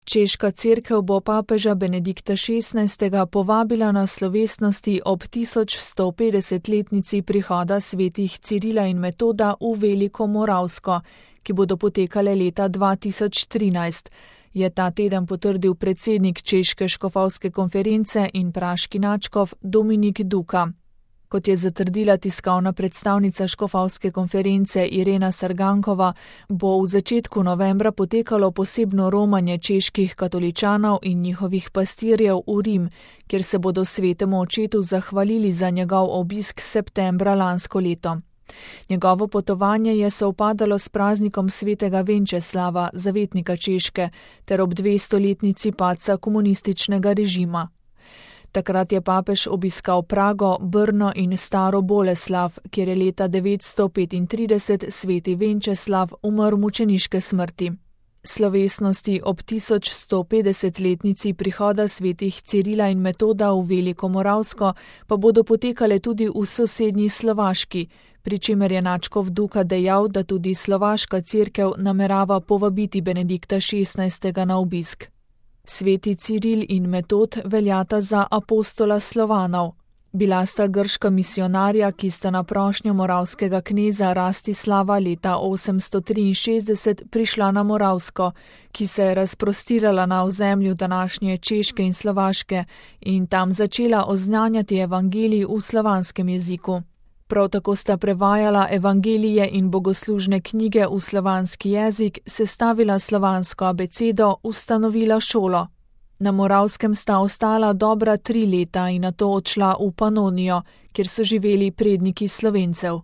Češka cerkev bo papeža Benedikta XVI. Povabila na slovesnosti ob 1150-letnici prihoda svetih Cirila in Metoda v Veliko Moravsko, ki bodo potekale leta 2013, je ta teden potrdil predsednik Češke škofovske konference in praški nadškof Dominik Duka. Kot je zatrdila tiskovna predstavnica škofovske konference Irena Sargankova, bo v začetku novembra potekalo posebno romanje čeških katoličanov in njihovih pastirjev v Rim, kjer se bodo svetemu očetu zahvalili za njegov obisk septembra lansko leto. Njegovo potovanje je sovpadalo s praznikom svetega Venčeslava, zavetnika Češke, ter ob 200-letnici padca komunističnega režima. Takrat je papež obiskal Prago, Brno in Staro Boleslav, kjer je leta 935 sveti Venčeslav umrl mučeniške smrti. Slovesnosti ob 1150-letnici prihoda svetih Cirila in Metoda v Veliko Moravsko pa bodo potekale tudi v sosednji Slovaški, pri čemer je nadškof Duka dejal, da tudi slovaška cerkev namerava povabiti Benedikta XVI. Na obisk. Sveti Ciril in Metod veljata za apostola Slovanov. Bila sta grška misionarja, ki sta na prošnjo moravskega kneza Rastislava leta 863 prišla na Moravsko, ki se je razprostirala na ozemlju današnje Češke in Slovaške in tam začela oznanjati evangelij v slovanskem jeziku. Prav tako sta prevajala evangelije in bogoslužne knjige v slovanski jezik, sestavila slovansko abecedo, ustanovila šolo. Na Moravskem sta ostala dobra 3 leta in nato odšla v Panonijo, kjer so živeli predniki Slovencev.